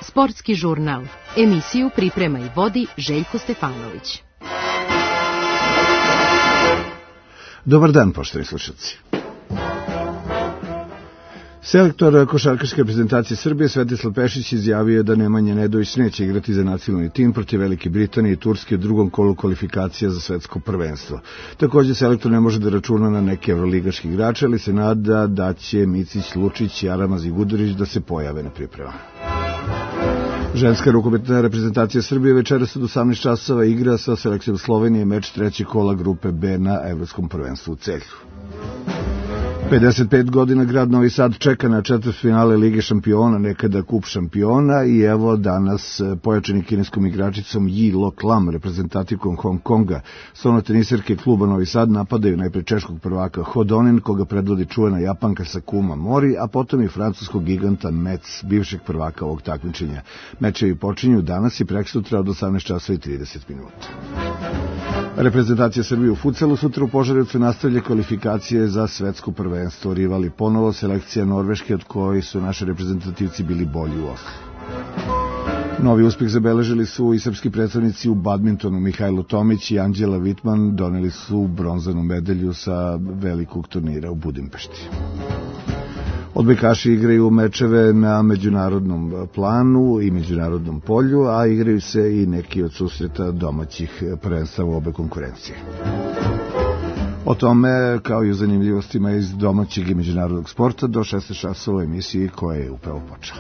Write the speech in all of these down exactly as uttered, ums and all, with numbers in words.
Sportski žurnal. Emisiju priprema i vodi Željko Stefanović. Dobar dan, poštovani slušalci. Selektor košarkaške reprezentacije Srbije Svetislav Pešić izjavio da Nemanja Nedović neće igrati za nacionalni tim protiv Velike Britanije i Turske u drugom kolu kvalifikacija za svetsko prvenstvo. Također, selektor ne može da računa na neke evroligaški igrače, ali se nada da će Micić, Lučić, Jaramaz i Gudurić da se pojave na pripremama. Ženska rukometna reprezentacija Srbije večeras od osamnaest časova igra sa selekcijom Slovenije meč trećeg kola grupe B na Evropskom prvenstvu u Celju. pedeset pet godina grad Novi Sad čeka na četvrtfinale Lige šampiona, nekada Kup šampiona, i evo danas pojačani kineskom igračicom Yi Lok Lam, reprezentativkom Hong Konga. Stolnoteniserke kluba Novi Sad napadaju najpre češkog prvaka Hodonin, koga predvodi čuvena Japanka Sakuma Mori, a potom i francuskog giganta Metz, bivšeg prvaka ovog takmičenja. Mečevi počinju danas i preksutra od osamnaest časova i trideset minuta. Reprezentacija Srbije u fudsalu sutra u Požarevcu nastavlja kvalifikacije za svetsko prvenstvo. Rivali ponovo selekcija Norveške, od koje su naši reprezentativci bili bolji u Oslu. Novi uspeh zabeležili su i srpski predstavnici u badmintonu. Mihajlo Tomić i Anđela Vitman doneli su bronzanu medalju sa velikog turnira u Budimpešti. Odbojkaši igraju mečeve na međunarodnom planu i međunarodnom polju, a igraju se i neki od susreta domaćih prvenstava u obe konkurencije. O tome, kao i o zanimljivostima iz domaćeg i međunarodnog sporta, do šesnaest časova emisiji koja je upravo počela.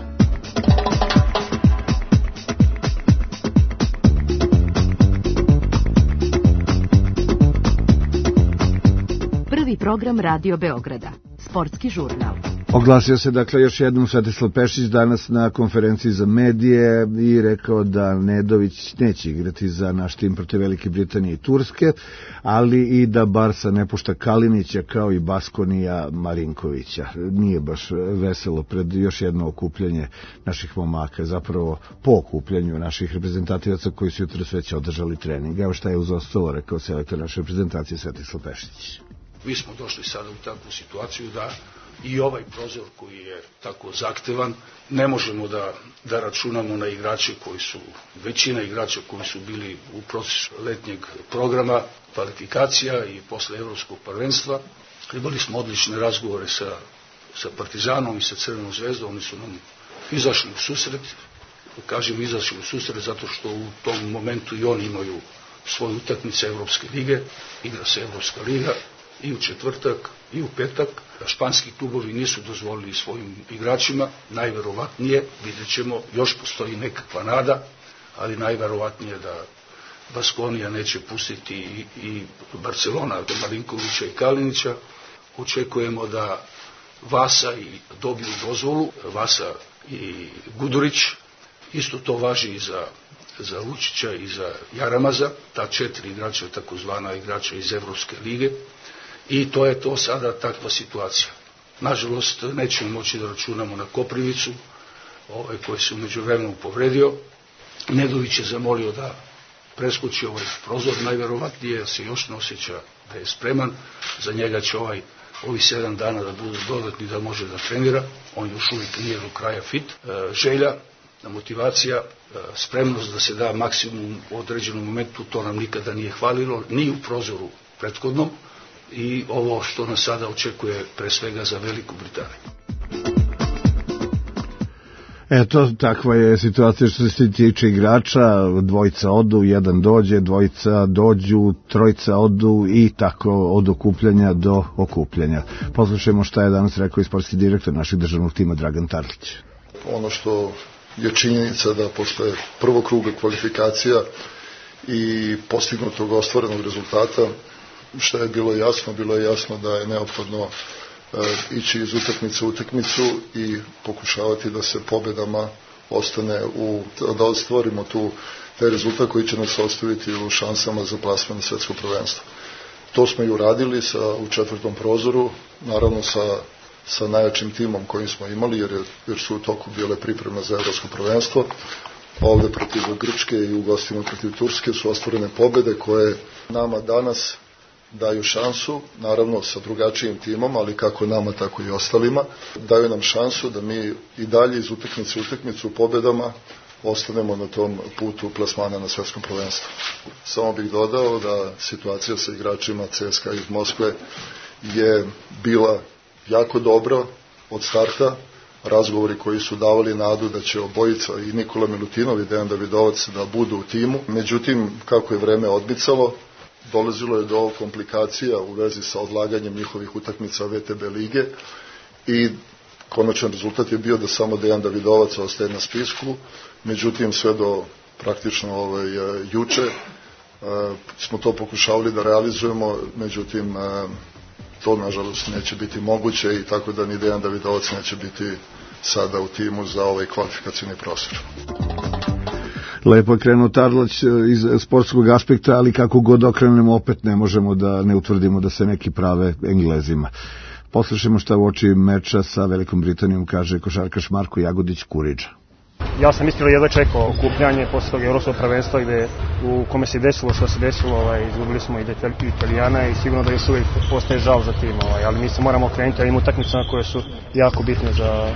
Prvi program Radio Beograda. Sportski žurnal. Oglasio se dakle još jednom Svetislav Pešić danas na konferenciji za medije i rekao da Nedović neće igrati za naš tim protiv Velike Britanije i Turske, ali i da Barsa ne pušta Kalinića kao i Baskonija Marinkovića. Nije baš veselo pred još jedno okupljanje naših momaka, zapravo po okupljanju naših reprezentativaca koji su jutros već održali trening. Evo šta je uz ostalo rekao selektor naše reprezentacije Svetislav Pešić. Mi smo došli sada u takvu situaciju da i ovaj prozor koji je tako zahtevan, ne možemo da, da računamo na igrače koji su, većina igrača koji su bili u procesu letnjeg programa, kvalifikacija i posle Evropskog prvenstva. Imali smo odlične razgovore sa, sa Partizanom i sa Crvenom zvezdom, oni su nam izašli u susret, kažem izašli u susret zato što u tom momentu i oni imaju svoje utakmice Evropske lige, igra se Evropska liga, i u četvrtak i u petak. Španski klubovi nisu dozvolili svojim igračima, najverovatnije, vidjet ćemo, još postoji nekakva nada, ali najverovatnije da Baskonija neće pustiti i, i Barcelona, Marinkovića i Kalinića. Očekujemo da Vasa i dobiju dozvolu, Vasa i Gudurić, isto to važi i za za Lučića i za Jaramaza, ta četiri igrača, takozvana igrača iz Evropske lige, i to je to sada takva situacija. Nažalost, nećemo moći da računamo na Koprivicu, ovaj koji se umeđu vremenu povredio. Nedović je zamolio da preskoči ovaj prozor, najverovatnije se još ne osjeća da je spreman, za njega će ovaj, ovi sedam dana da budu dodatni da može da trenira, on još uvijek nije do kraja fit. E, želja, motivacija, spremnost da se da maksimum u određenom momentu, to nam nikada nije hvalilo, ni u prozoru prethodnom, i ovo što nas sada očekuje pre svega za Veliku Britaniju. Eto, takva je situacija što se tiče igrača, dvojica odu, jedan dođe, dvojica dođu, trojica odu i tako od okupljanja do okupljanja. Poslušajmo šta je danas rekao i sportski direktor našeg državnog tima Dragan Tarlić. Ono što je činjenica da posle prvog kruga kvalifikacija i postignutog ostvarenog rezultata, što je bilo jasno, bilo je jasno da je neophodno e, ići iz utakmice u utakmicu i pokušavati da se pobedama ostane u, da ostvarimo tu taj rezultat koji će nas ostaviti u šansama za plasman na svetsko prvenstvo. To smo i uradili sa, u četvrtom prozoru, naravno sa sa najjačim timom kojim smo imali, jer, je, jer su u toku bile pripreme za evropsko prvenstvo. Ovde protiv Grčke i u gostima protiv Turske su ostvorene pobede koje nama danas daju šansu, naravno sa drugačijim timom, ali kako nama, tako i ostalima, daju nam šansu da mi i dalje iz utakmice u utakmicu pobedama ostanemo na tom putu plasmana na svetskom prvenstvu. Samo bih dodao da situacija sa igračima C S K A iz Moskve je bila jako dobra od starta. Razgovori koji su davali nadu da će obojica i Nikola Milutinov i Dejan Davidovac da budu u timu. Međutim, kako je vreme odmicalo, dolazilo je do komplikacija u vezi sa odlaganjem njihovih utakmica V T B lige i konačan rezultat je bio da samo Dejan Davidovac ostaje na spisku. Međutim, sve do praktično ovaj, juče smo to pokušavali da realizujemo, međutim to nažalost neće biti moguće i tako da ni Dejan Davidovac neće biti sada u timu za ovaj kvalifikacijni prostor. Lepo je krenuo Tarlać iz sportskog aspekta, ali kako god okrenemo opet ne možemo da ne utvrdimo da se neki prave Englezima. Poslušajmo šta u oči meča sa Velikom Britanijom kaže košarkaš Marko Jagodić-Kuriđa. Ja sam iskreno jedva čekao okupljanje posle tog evropskog prvenstva gde u kome se desilo što se desilo, ovaj, izgubili smo i Italijana i sigurno da još uvijek postaje žal za tim, ovaj, ali mi se moramo okrenuti ovim utakmicama koje su jako bitne za,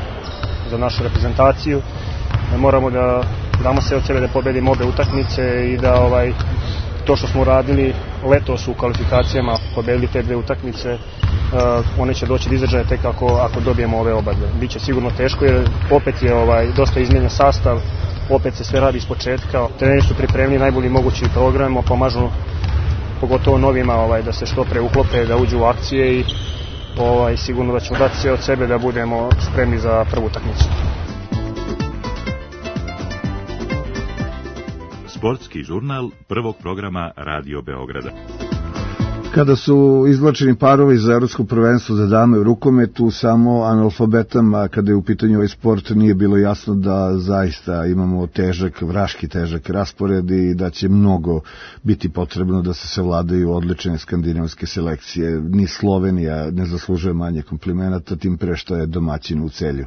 za našu reprezentaciju. Moramo da damo sve od sebe da pobedimo obe utakmice i da ovaj, to što smo uradili letos u kvalifikacijama, pobedili te dve utakmice, uh, one će doći do izražaja tek ako, ako dobijemo ove oba dve. Biće sigurno teško jer opet je ovaj, dosta izmijenjen sastav, opet se sve radi iz početka. Treneri su pripremili najbolji mogući program, pomažu pogotovo novima ovaj, da se što pre uklope, da uđu u akcije i ovaj, sigurno da ćemo dati sve od sebe da budemo spremni za prvu utakmicu. Sportski žurnal prvog programa Radio Beograda. Kada su izvlačeni parovi za evropsko prvenstvo za dame u rukometu, samo analfabetama, kada je u pitanju ovaj sport, nije bilo jasno da zaista imamo težak, vraški težak raspored i da će mnogo biti potrebno da se savladaju odlične skandinavske selekcije. Ni Slovenija ne zaslužuje manje komplimenata, tim pre što je domaćin u Celju.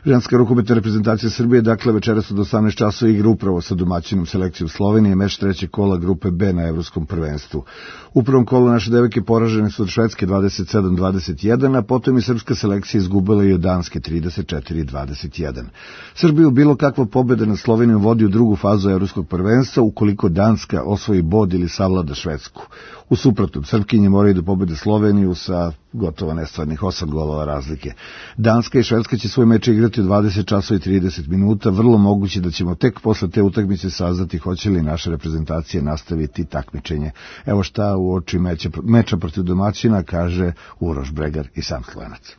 Ženska rukometna reprezentacija Srbije, dakle, večeras od osamnaest časova igra upravo sa domaćinom selekcijom Slovenije, meč trećeg kola grupe B na evropskom prvenstvu. U prvom kolu naše devojke poražene su od Švedske dvadeset sedam dvadeset jedan, a potom je srpska selekcija izgubila i od Danske trideset četiri dvadeset jedan. Srbiju bilo kakva pobjeda nad Slovenijom vodi u drugu fazu evropskog prvenstva ukoliko Danska osvoji bod ili savlada Švedsku. U suprotnom, Srpkinje moraju da pobede Sloveniju sa gotovo nestvarnih osam golova razlike. Danska i Švedska će svoj meč igrati u dvadeset časova i trideset minuta, vrlo moguće da ćemo tek posle te utakmice saznati hoće li naša reprezentacija nastaviti takmičenje. Evo šta u oči meča, meča protiv domaćina kaže Uroš Bregar i sam Slovenac.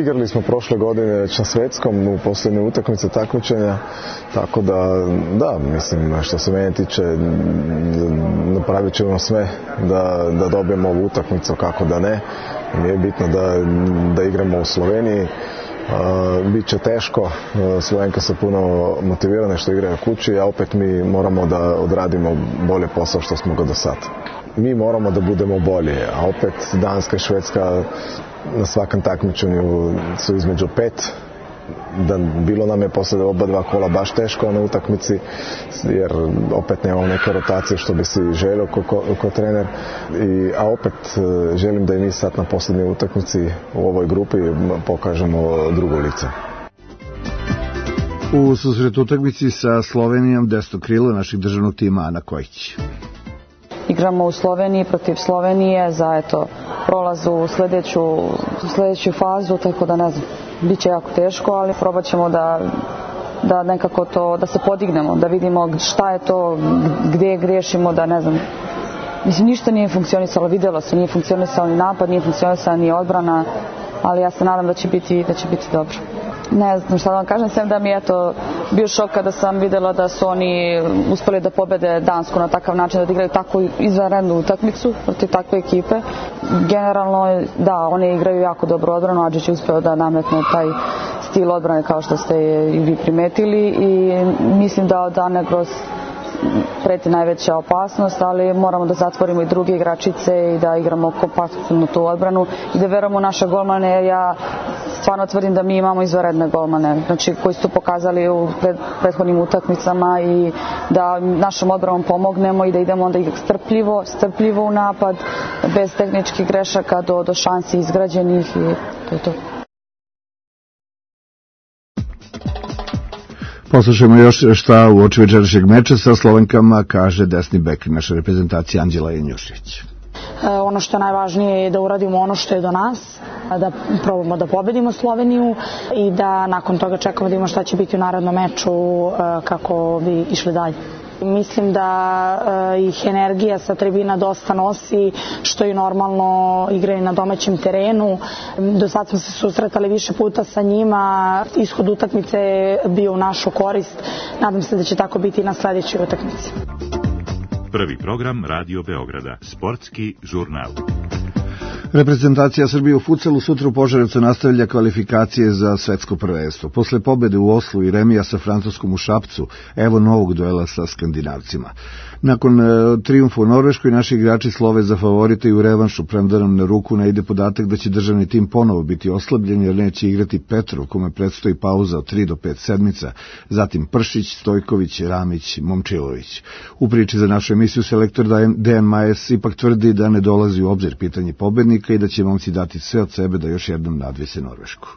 Igrali smo prošle godine već na svetskom u posljednje utakmice takmičenja, tako da, da, mislim, što se mene tiče, napravit ćemo sve da, da dobijemo ovu utakmicu, kako da ne. Nije bitno da, da igramo u Sloveniji. Uh, Biće teško, uh, Slovenke su puno motivirane što igraju kući, a opet mi moramo da odradimo bolje posao što smo ga do sad. Mi moramo da budemo bolji, a opet Danska i Švedska na svakom takmičenju su između pet. Da bilo nam je posle oba dva kola baš teško na utakmici, jer opet nemamo neke rotacije što bi si želio ko, ko, ko trener. I, a opet želim da i mi sad na posljednjoj utakmici u ovoj grupi pokažemo drugo lice. U susretu utakmici sa Slovenijom desno krilo našeg državnog tima Ana Kojić. Igramo u Sloveniji protiv Slovenije za eto, prolaz u sljedeću, sljedeću fazu, tako da ne znam, bit će jako teško, ali probat ćemo da, da nekako to, da se podignemo, da vidimo šta je to, gdje griješimo, da ne znam. Mislim, ništa nije funkcionisalo, vidjelo se, nije funkcionisalo ni napad, nije funkcionisala ni odbrana, ali ja se nadam da će biti, da će biti dobro. Ne znam šta da vam kažem, sem da mi je to bio šok kada sam vidjela da su oni uspjeli da pobede Dansku na takav način, da igraju takvu izvanrednu utakmicu protiv takve ekipe. Generalno, da, oni igraju jako dobro odbranu, Adžić je uspio da nametne taj stil odbrane kao što ste i vi primetili i mislim da od Ane Gros preti najveća opasnost, ali moramo da zatvorimo i druge igračice i da igramo kompaktnu tu odbranu i da verujemo u naše golmane, jer ja stvarno tvrdim da mi imamo izvanredne golmane, znači koji su pokazali u pred, prethodnim utakmicama i da našom odbranom pomognemo i da idemo onda strpljivo, strpljivo u napad, bez tehničkih grešaka do, do šansi izgrađenih i to je to. Poslušajmo još šta u oči večerašnjeg meča sa Slovenkama kaže desni bek naše reprezentacije Anđela Janjušević. Ono što je najvažnije je da uradimo ono što je do nas, da probamo da pobedimo Sloveniju i da nakon toga čekamo da vidimo šta će biti u narednom meču kako bi išli dalje. Mislim da ih energija sa tribina dosta nosi, što i normalno igraju na domaćem terenu. Do sad smo se susretali više puta sa njima, ishod utakmice je bio u našu korist. Nadam se da će tako biti i na sledećoj utakmici. Prvi program Radio Beograda, sportski žurnal. Reprezentacija Srbije u futsalu sutra u Požarevcu nastavlja kvalifikacije za svetsko prvenstvo. Posle pobede u Oslu i remija sa Francuskom u Šapcu, evo novog duela sa Skandinavcima. Nakon e, trijumfa u Norveškoj, naši igrači slove za favorite i u revanšu, premda nam na ruku ne ide podatak da će državni tim ponovo biti oslabljen jer neće igrati Petrov, kome predstoji pauza od tri do pet sedmica, zatim Pršić, Stojković, Ramić, Momčilović. U priči za našu emisiju selektor Dejan Majes ipak tvrdi da ne dolazi u obzir pitanje pobednika i da će momci dati sve od sebe da još jednom nadvise Norvešku.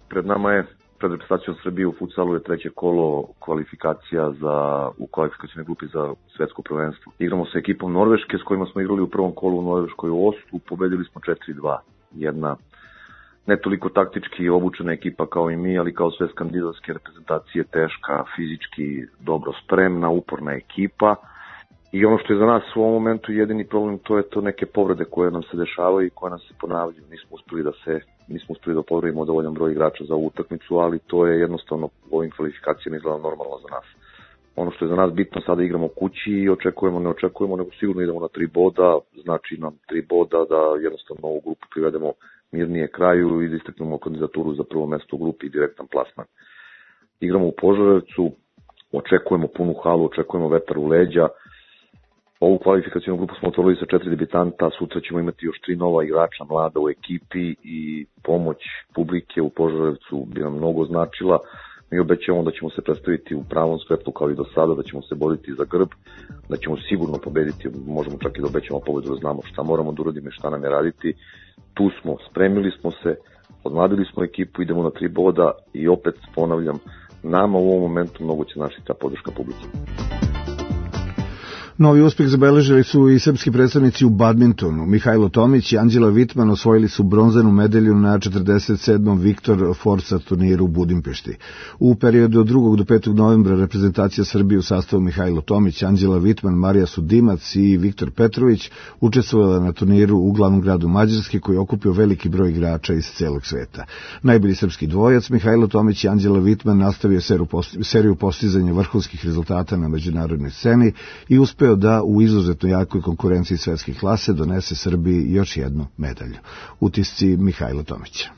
Pred nama je pred reprezentacijom Srbije u futsalu je treće kolo kvalifikacija za, u kvalifikacijnoj grupi za svetsko prvenstvo. Igramo sa ekipom Norveške s kojima smo igrali u prvom kolu u Norveškoj u Oslu, pobedili smo četiri dva. Jedna ne toliko taktički obučena ekipa kao i mi, ali kao sve skandinavske reprezentacije, teška, fizički dobro spremna, uporna ekipa. I ono što je za nas u ovom momentu jedini problem, to je to neke povrede koje nam se dešavaju i koje nam se ponavljaju. Nismo uspeli da se nismo uspeli da povredimo dovoljan broj igrača za ovu utakmicu, ali to je jednostavno u ovim kvalifikacijama izgleda normalno za nas. Ono što je za nas bitno, sada igramo kući i očekujemo, ne očekujemo, nego sigurno idemo na tri boda, znači nam tri boda da jednostavno ovu grupu privedemo mirnije kraju i da istaknemo kandidaturu za prvo mesto u grupi i direktan plasman. Igramo u Požarevcu, očekujemo punu halu, očekujemo vetar u leđa. Ovu kvalifikacijnu grupu smo otvorili sa četiri debitanta, sutra ćemo imati još tri nova igrača mlada u ekipi i pomoć publike u Požarevcu bi nam mnogo značila. Mi obećavamo da ćemo se predstaviti u pravom svetlu kao i do sada, da ćemo se boriti za grb, da ćemo sigurno pobediti, možemo čak i da obećamo pobedu, da znamo šta moramo da uradimo i šta nam je raditi. Tu smo, spremili smo se, odmladili smo ekipu, idemo na tri boda i opet ponavljam, nama u ovom momentu mnogo će značiti ta podrška publike. Novi uspeh zabeležili su i srpski predstavnici u badmintonu. Mihajlo Tomić i Anđela Vitman osvojili su bronzanu medalju na četrdeset sedmom Viktor Forza turniru u Budimpešti. U periodu od drugog do petog novembra reprezentacija Srbije u sastavu Mihajlo Tomić, Anđela Vitman, Marija Sudimac i Viktor Petrović učestvovala na turniru u glavnom gradu Mađarske koji je okupio veliki broj igrača iz celog sveta. Najbolji srpski dvojac Mihajlo Tomić i Anđela Vitman nastavio seriju postizanja vrhunskih rezultata na međunarodnoj sceni i uspeo da u izuzetno jakoj konkurenciji svetske klase donese Srbiji još jednu medalju. Utisci Mihajla Tomića.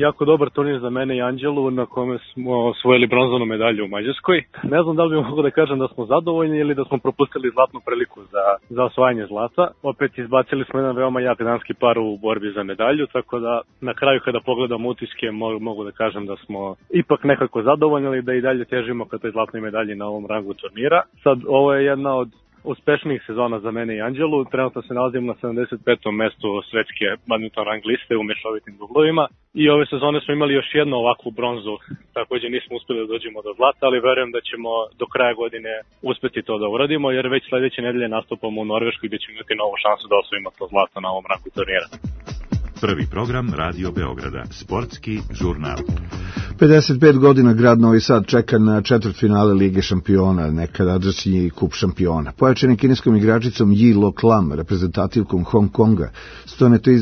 Jako dobar turnir za mene i Anđelu na kome smo osvojili bronzanu medalju u Mađarskoj. Ne znam da li bih mogao da kažem da smo zadovoljni ili da smo propustili zlatnu priliku za, za osvajanje zlata. Opet izbacili smo jedan veoma jak danski par u borbi za medalju, tako da na kraju kada pogledam utiske mogu da kažem da smo ipak nekako zadovoljni, da i dalje težimo ka toj zlatnoj medalji na ovom rangu turnira. Sad ovo je jedna od uspešnijih sezona za mene i Anđelu. Trenutno se nalazim na sedamdeset petom mestu svetske badminton rang liste u mešovitim dublovima i ove sezone smo imali još jednu ovakvu bronzu, takođe nismo uspeli da dođemo do zlata, ali verujem da ćemo do kraja godine uspeti to da uradimo, jer već sledeće nedelje nastupamo u Norveškoj gde ćemo imati novu šansu da osvojimo to zlato na ovom rangu turnira. Prvi program Radio Beograda, sportski žurnal. pedeset pet godina grad Novi Sad čeka na četvrtfinale Lige šampiona, nekadašnji kup šampiona. Pojačani kineskom igračicom Yi Lo Lam, reprezentativkom Hong Konga,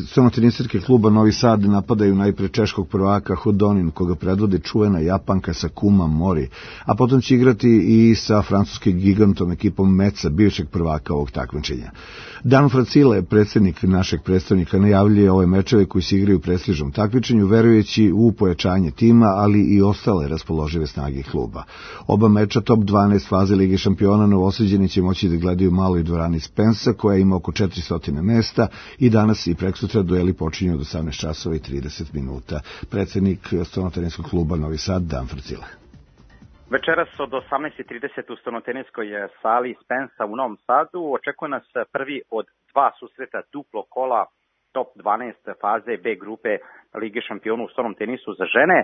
stonoteniserke kluba Novi Sad napadaju najpre češkog prvaka Hodonin, koga predvodi čuvena Japanka Sakuma Mori, a potom će igrati i sa francuskim gigantom ekipom Meca, bivšeg prvaka ovog takmičenja. Dan Fracile, predsednik našeg predstavnika, najavljuje ove mečeve koji se igraju u prestižnom takmičenju, verujući u pojačanje tima, ali i ostale raspoložive snage kluba. Oba meča top dvanaest faze Lige šampiona Novosađani će moći da gledaju u maloj dvorani Spensa, koja ima oko četiristo mesta, i danas i preksutra dueli počinju od osamnaest časova i trideset minuta. Predsednik stonoteniskog kluba Novi Sad, Dan Fracile. Večeras od osamnaest i trideset u stolnoteniskoj sali Spensa u Novom Sadu očekuje nas prvi od dva susreta duplo kola top dvanaest faze B grupe Lige šampiona u stolnom tenisu za žene.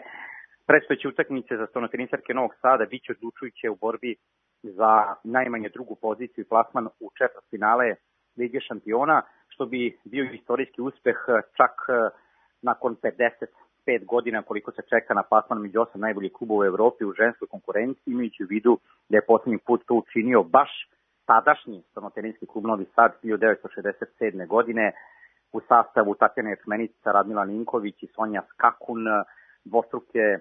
Predstojeće utakmice za stolnotenisarke Novog Sada biće odlučujuće u borbi za najmanje drugu poziciju i plasman u četvrtfinale Lige šampiona, što bi bio istorijski uspeh čak nakon pedeset pet godina koliko se čeka na plasman među osam najboljih klubova u Evropi u ženskoj konkurenciji, imajući u vidu da je posljednji put to učinio baš tadašnji stolnoteniski klub Novi Sad hiljadu devetsto šezdeset sedme. godine u sastavu Tatjana Ječmenica, Radmila Ninković i Sonja Skakun, dvostruke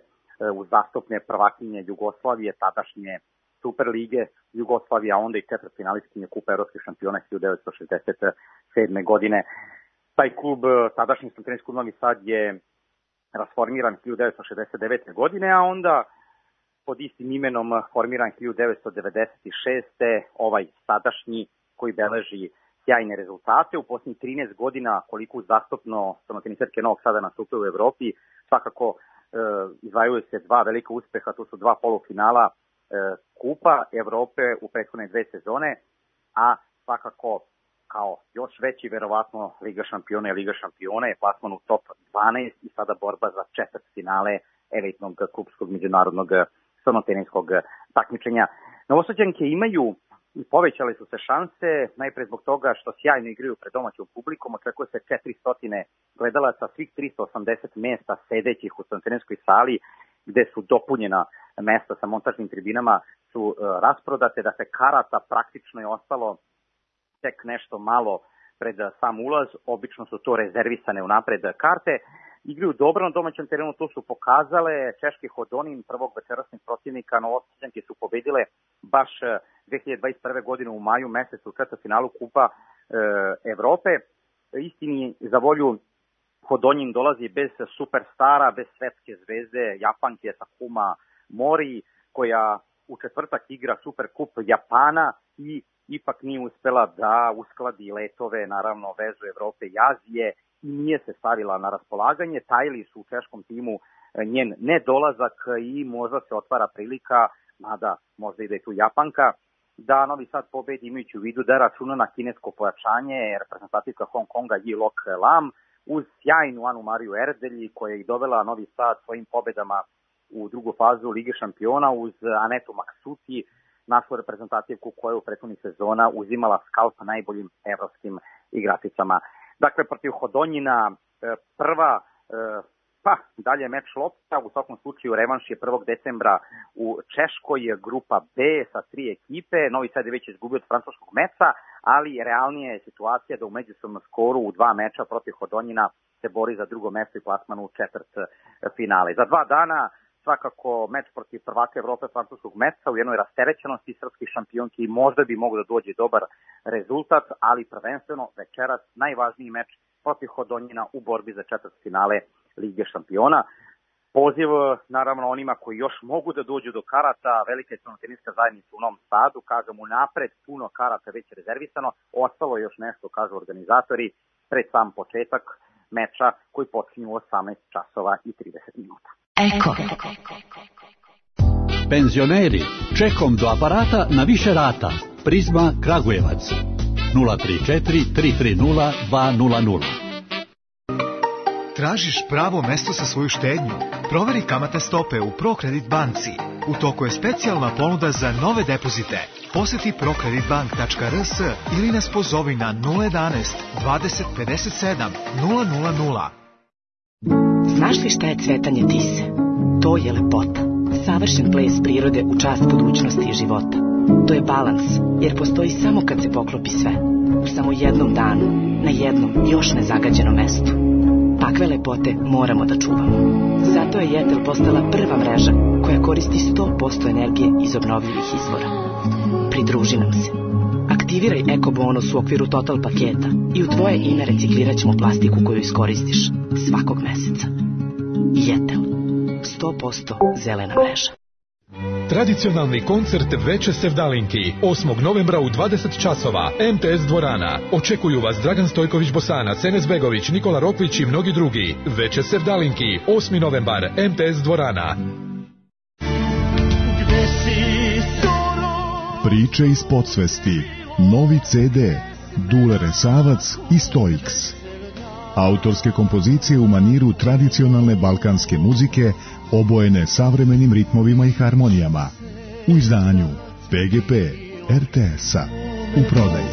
uzastopne prvakinje Jugoslavije, tadašnje Super lige Jugoslavije, a onda i četvrtfinalistkinje Kupa evropskih šampiona hiljadu devetsto šezdeset sedme. godine. Taj klub, tadašnji stolnoteniski klub Novi Sad, je rasformiran hiljadu devetsto šezdeset devete. godine, a onda pod istim imenom formiran hiljadu devetsto devedeset šeste. ovaj sadašnji koji beleži sjajne rezultate. U posljednjih trinaest godina koliko uzastopno stolnotenisarke Novog Sada nastupaju u Evropi, svakako e, izvajaju se dva velika uspeha, to su dva polufinala e, Kupa Evrope u prethodne dve sezone, a svakako kao još veći verovatno Liga šampiona i Liga šampiona je plasman u top dvanaest i sada borba za četvrtfinale elitnog klubskog međunarodnog stolnoteniskog takmičenja. Novosađanke imaju i povećale su se šanse, najpre zbog toga što sjajno igraju pred domaćom publikom, očekuje se četiristo gledalaca, svih tristo osamdeset mesta sedećih u stolnoteniskoj sali, gde su dopunjena mesta sa montažnim tribinama su uh, rasprodate, da se karata praktično je ostalo tek nešto malo pred sam ulaz, obično su to rezervisane unapred karte. Igraju dobro na domaćem terenu, to su pokazale. Češki Hodonin, prvog večerasnih protivnika, Novosađanke su pobedile baš dve hiljade dvadeset prve. godine u maju mesecu u četvrtfinalu Kupa e, Evrope. Istini za volju, Hodonin dolazi bez superstara, bez svetske zvezde, Japanke Sakuma Mori, koja u četvrtak igra Superkup Japana i ipak nije uspela da uskladi letove, naravno vezu Evrope i Azije, i nije se stavila na raspolaganje. Tajili su u češkom timu njen nedolazak i možda se otvara prilika, mada možda i da je tu Japanka, da Novi Sad pobedi, imajući u vidu da računa na kinesko pojačanje reprezentativka Hong Konga Yi Lok Lam, uz sjajnu Anu Mariju Erdelji, koja je dovela Novi Sad svojim pobedama u drugu fazu Lige šampiona, uz Anetu Maksuti, našu reprezentativku koja je u prethodnih sezona uzimala skalp najboljim evropskim igračicama. Dakle, protiv Hodonjina prva, pa dalje meč lopta, u svakom slučaju revanš je prvog decembra u Češkoj, grupa B sa tri ekipe. Novi Sad je već izgubio od francuskog meča, ali realnija je situacija da u međusobnom skoru u dva meča protiv Hodonjina se bori za drugo mesto i plasman u četvrt finale. Za dva dana svakako meč protiv prvaka Evrope francuskog meča u jednoj rasterećenosti srpskih šampionki, možda bi mogao da dođe dobar rezultat, ali prvenstveno večeras najvažniji meč protiv Hodonjina u borbi za četvrtfinale Lige šampiona. Poziv naravno onima koji još mogu da dođu do karata, velika je stolnoteniska zajednica u Novom Sadu, kažem unapred, puno karata već rezervisano, ostalo je još nešto, kažu organizatori, pred sam početak meča koji počinju u osamnaest časova i trideset minuta. Eko. Penzioneri, čekom do aparata na više rata. Prizma Kragujevac. nula tri četiri tri tri nula dva nula nula. Tražiš pravo mesto za svoju štednju? Proveri kamatne stope u ProCredit banci. U toku je specijalna ponuda za nove depozite. Poseti procreditbank tačka r s ili nas pozovi na nula jedanaest dvadeset pedeset sedam nula nula nula. Znaš li šta je cvetanje tise? To je lepota. Savršen ples prirode u čast budućnosti i života. To je balans, jer postoji samo kad se poklopi sve. U samo jednom danu, na jednom još nezagađenom mestu. Takve lepote moramo da čuvamo. Zato je Jetel postala prva mreža koja koristi sto posto energije iz obnovljivih izvora. Pridruži nam se. Aktiviraj Eko bonus u okviru Total paketa i u tvoje ime reciklirat ćemo plastiku koju iskoristiš svakog meseca. Jetel. sto posto zelena mreža. Tradicionalni koncert Veče Sevdalinki osmog novembra u dvadeset časova M T S dvorana. Očekuju vas Dragan Stojković Bosanac, Enes Begović, Nikola Rokvić i mnogi drugi. Veče Sevdalinki osmi novembar M T S dvorana. Gde Priče iz podsvesti. Novi ce de. Dule Resavac i Stoiks. Autorske kompozicije u maniru tradicionalne balkanske muzike, obojene savremenim ritmovima i harmonijama. U izdanju pe ge pe er te es-a. U prodaji.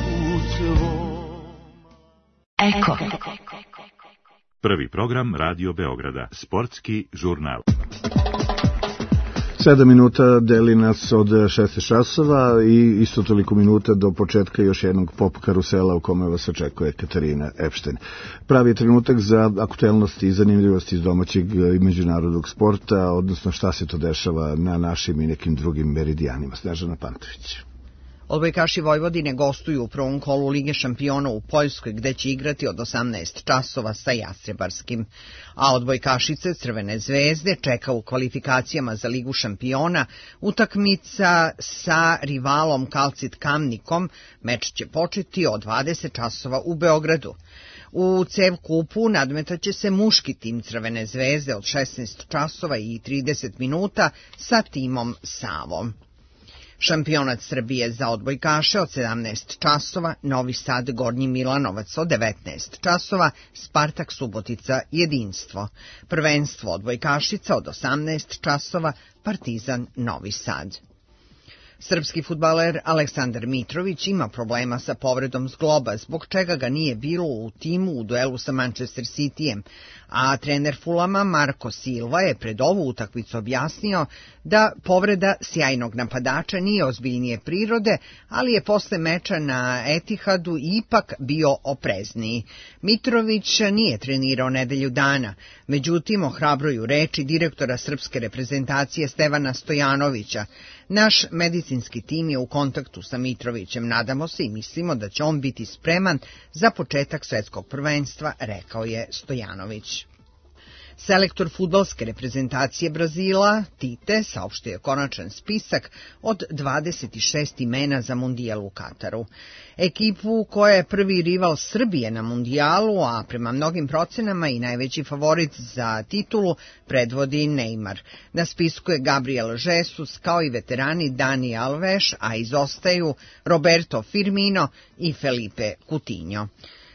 Eko. Prvi program Radio Beograda. Sportski žurnal. Sedam minuta deli nas od šesnaest časova i isto toliko minuta do početka još jednog pop karusela u kome vas očekuje Katarina Epšten. Pravi je trenutak za aktuelnosti i zanimljivosti iz domaćeg i međunarodnog sporta, odnosno šta se to dešava na našim i nekim drugim meridijanima. Snežana Pantović. Odbojkaši Vojvodine gostuju u prvom kolu Lige šampiona u Poljskoj, gde će igrati od osamnaest časova sa Jastrebarskim. A odbojkašice Crvene zvezde čeka u kvalifikacijama za Ligu šampiona utakmica sa rivalom Kalcit Kamnikom. Meč će početi od dvadeset časova u Beogradu. U C E V kupu nadmetaće se muški tim Crvene zvezde od šesnaest časova i trideset minuta sa timom Savom. Šampionat Srbije za odbojkaše od sedamnaest časova, Novi Sad Gornji Milanovac od devetnaest časova, Spartak Subotica Jedinstvo. Prvenstvo odbojkašica od osamnaest časova, Partizan Novi Sad. Srpski fudbaler Aleksandar Mitrović ima problema sa povredom zgloba, zbog čega ga nije bilo u timu u duelu sa Manchester Cityjem, a trener Fulama Marko Silva je pred ovu utakmicu objasnio da povreda sjajnog napadača nije ozbiljnije prirode, ali je posle meča na Etihadu ipak bio oprezniji. Mitrović nije trenirao nedelju dana, međutim ohrabruju reči direktora srpske reprezentacije Stevana Stojanovića. Naš medicinski tim je u kontaktu sa Mitrovićem, nadamo se i mislimo da će on biti spreman za početak svetskog prvenstva, rekao je Stojanović. Selektor fudbalske reprezentacije Brazila, Tite, saopštio je konačan spisak od dvadeset šest imena za mundijal u Kataru. Ekipu koja je prvi rival Srbije na mundijalu, a prema mnogim procenama i najveći favorit za titulu, predvodi Neymar. Na spisku je Gabriel Jesus kao i veterani Dani Alves, a izostaju Roberto Firmino i Felipe Coutinho.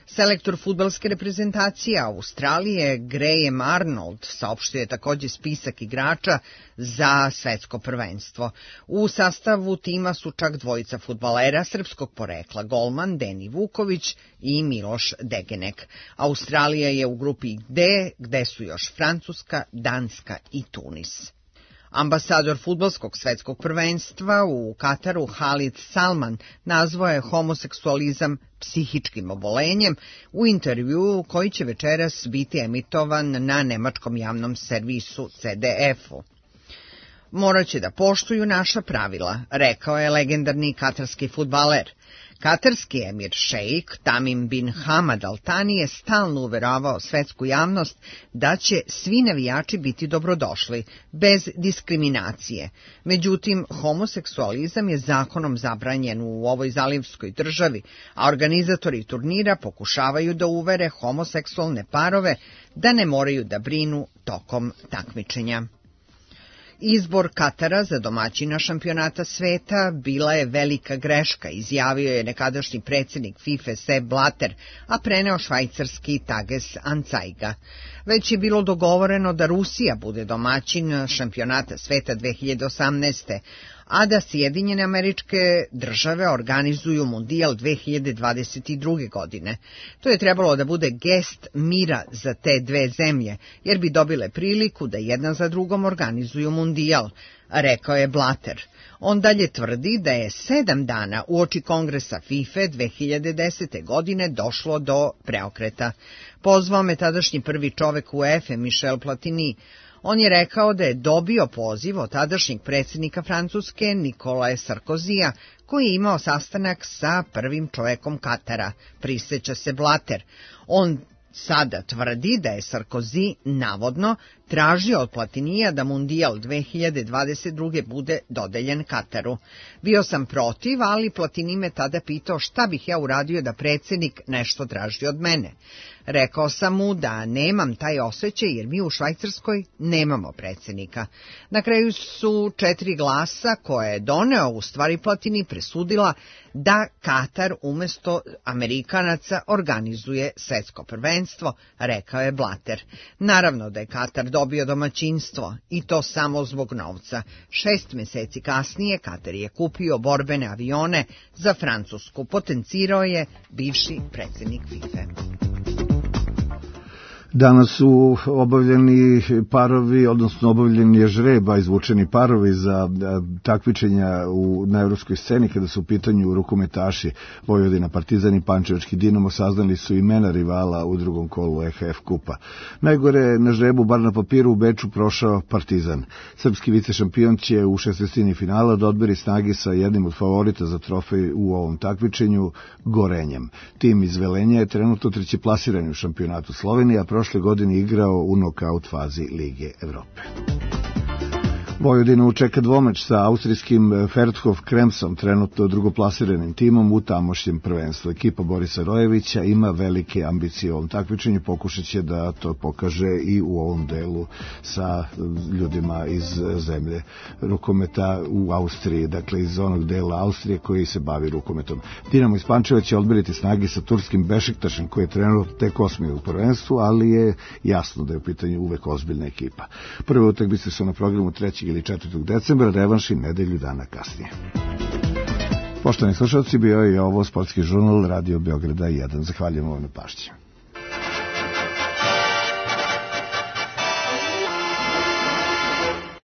Selektor fudbalske reprezentacije Australije Graham Arnold saopštio je također spisak igrača za svetsko prvenstvo. U sastavu tima su čak dvojica fudbalera srpskog porekla, golman Deni Vuković i Miloš Degenek. Australija je u grupi D, gde su još Francuska, Danska i Tunis. Ambasador fudbalskog svetskog prvenstva u Kataru Halid Salman nazvao je homoseksualizam psihičkim obolenjem u intervjuu koji će večeras biti emitovan na nemačkom javnom servisu C D F-u. Morat će da poštuju naša pravila, rekao je legendarni katarski fudbaler. Katarski emir šejk Tamim bin Hamad Al Thani je stalno uveravao svetsku javnost da će svi navijači biti dobrodošli, bez diskriminacije. Međutim, homoseksualizam je zakonom zabranjen u ovoj zalivskoj državi, a organizatori turnira pokušavaju da uvere homoseksualne parove da ne moraju da brinu tokom takmičenja. Izbor Katara za domaćina šampionata sveta bila je velika greška, izjavio je nekadašnji predsjednik FIFA Sepp Blatter, a preneo švajcarski Tages Anzeiga. Već je bilo dogovoreno da Rusija bude domaćin šampionata sveta dve hiljade osamnaeste. a da Sjedinjene Američke Države organizuju mundijal dve hiljade dvadeset druge. godine. To je trebalo da bude gest mira za te dve zemlje, jer bi dobile priliku da jedna za drugom organizuju mundijal, rekao je Blatter. On dalje tvrdi da je sedam dana uoči kongresa FIFA dve hiljade desete. godine došlo do preokreta. Pozvao me tadašnji prvi čovek UEFA Michel Platini. On je rekao da je dobio poziv od tadašnjeg predsjednika Francuske Nikolae Sarkozija, koji je imao sastanak sa prvim čovekom Katara, prisjeća se Blatter. On sada tvrdi da je Sarkozy navodno tražio od Platinija da mundijal dve hiljade dvadeset druge. bude dodeljen Kataru. Bio sam protiv, ali Platini me tada pitao šta bih ja uradio da predsjednik nešto traži od mene. Rekao sam mu da nemam taj osjećaj jer mi u Švajcarskoj nemamo predsjednika. Na kraju su četiri glasa koje je doneo u stvari Platini presudila da Katar umjesto Amerikanaca organizuje svetsko prvenstvo, rekao je Blatter. Naravno da je Katar dobio domaćinstvo i to samo zbog novca. Šest mjeseci kasnije Katar je kupio borbene avione za Francusku, potencirao je bivši predsjednik FIFA. Danas su obavljeni parovi, odnosno obavljeni je žreba, izvučeni parovi za takmičenja u, na evropskoj sceni kada su u pitanju rukometaši Vojvodina, Partizan i Pančevački Dinamo. Saznali su imena rivala u drugom kolu E H F kupa. Najgore na žrebu, bar na papiru, u Beču prošao Partizan. Srpski vicešampion će u šestnaestini finala da odberi snagi sa jednim od favorita za trofej u ovom takmičenju, Gorenjem. Tim iz Velenja je trenutno treći plasirani u šampionatu Slovenije, a prošle godine igrao u nokaut fazi Lige Evrope. Vojvodinu čeka dvomeč sa austrijskim Ferthof Kremsom, trenutno drugoplasiranim timom u tamošnjem prvenstvu. Ekipa Borisa Rojevića ima velike ambicije u ovom takmičenju, pokušat će da to pokaže i u ovom delu sa ljudima iz zemlje rukometa u Austriji, dakle iz onog dela Austrije koji se bavi rukometom. Dinamo iz Pančeva će odmeriti snagi sa turskim Bešiktašem koji je trenutno tek osmi u prvenstvu, ali je jasno da je u pitanju uvek ozbiljna ekipa. Prve utakmice su na programu trećeg ili četvrtog decembra, revanši nedelju dana kasnije. Poštovani slušalci, bio je ovo sportski žurnal Radio Beograda jedan. Zahvaljujem vam na pažnji.